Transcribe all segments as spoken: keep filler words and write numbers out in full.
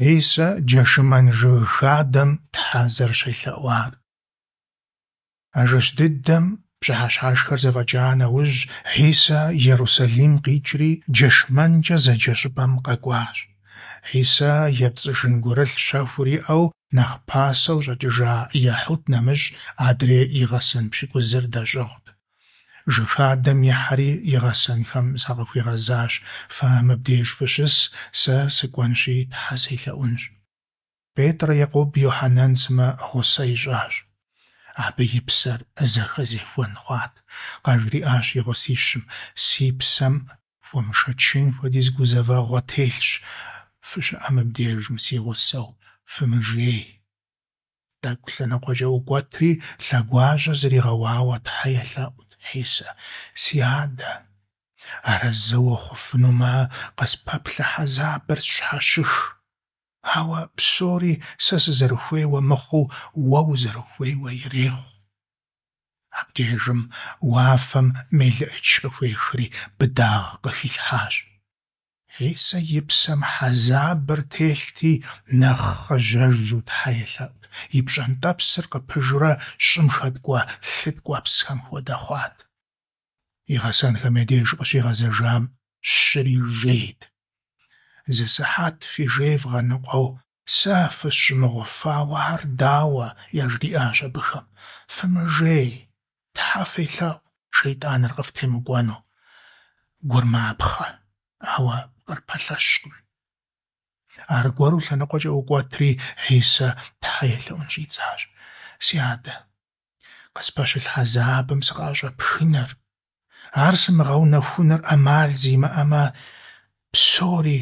Хьисэ Джэшымэн жыг хадэм Тхьэ зэрыщелъэӀуар. А жэщ дыдэм, пщыхьэщхьэшхэр зэфӀэкӀа нэужь, Хьисэ Ерусалим къикӀри ДжэшмэнкӀэ зэджэ щӀыпӀэм къэкӀуащ. Хьисэ епцӀыжын гурылъ щэхур иӀэу нэхъ пасэу щӀэкӀыжа Ехьуд нэмыщӀ, адрей и гъэсэн пщыкӀузыр дэщӀыгъут. Жыг хадэм ихьэри и гъэсэнхэм закъыхуигъэзащ: «Фэ мыбдеж фыщыс, сэ сыкӀуэнщи Тхьэ селъэӀунщ». Петр, Екъуб, Йохьэнэн сымэ гъусэ ищӀащ. Абы и псэр зэхэзехуэн хъуат. КъажриӀащ и гъусищым: «Си псэм хуэмышэчын хуэдиз гузэвэгъуэ телъщ, фыщыӀэ мыбдежым си гъусэу, фымыжей». ТӀэкӀу лъэныкъуэкӀэ ӀукӀуэтри, лъэгуажьэ зригъэуауэ Тхьэ елъэӀут Хьисэ: «Си Адэ, арэзы ухъуфынумэ, къыспэплъэ хьэзабыр сщхьэщых. Ауэ псори сэ сызэрыхуейуэ мыхъуу, уэ узэрыхуейуэ ирехъу». Абдежым уафэм мелыӀыч къыхуехри быдагъ къыхилъхьащ. Хьисэ и псэм хьэзабыр телъти, нэхъ хъыжьэжу Тхьэ елъэӀут, и пщӀэнтӀэпсыр къыпыжурэ щӀым хэткӀуэ лъы ткӀуэпсхэм хуэдэ хъуат. И гъэсэнхэм я деж къыщигъэзэжам щыри жейт. Зы сыхьэт фи жей вгъэныкъуэу сэ фысщӀымыгъуфауэ ар дауэ? – яжриӀащ абыхэм. Фымыжей, Тхьэ фелъэӀу, шейтӀаныр къыфтемыкӀуэну. Гур мапхъэ, ауэ пкъыр пэлъэщкъым. Аргуэру лъэныкъуэкӀэ ӀукӀуэтри, Хьисэ Тхьэ елъэӀун щӀидзащ: «Си Адэ, къыспэщылъ хьэзабым сыкъыӀэщӀэпхыныр, ар сымыгъэунэхуныр Ӏэмал зимыӀэмэ, псори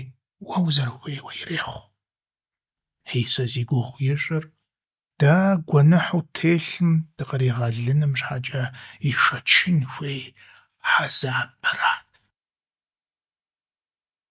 уэ узэрыхуейуэ ирехъу». Хьисэ зи гугъу ищӀыр дэ гуэныхьу ттелъым дыкъригъэлыным щхьэкӀэ ишэчын хуей хьэзабырат.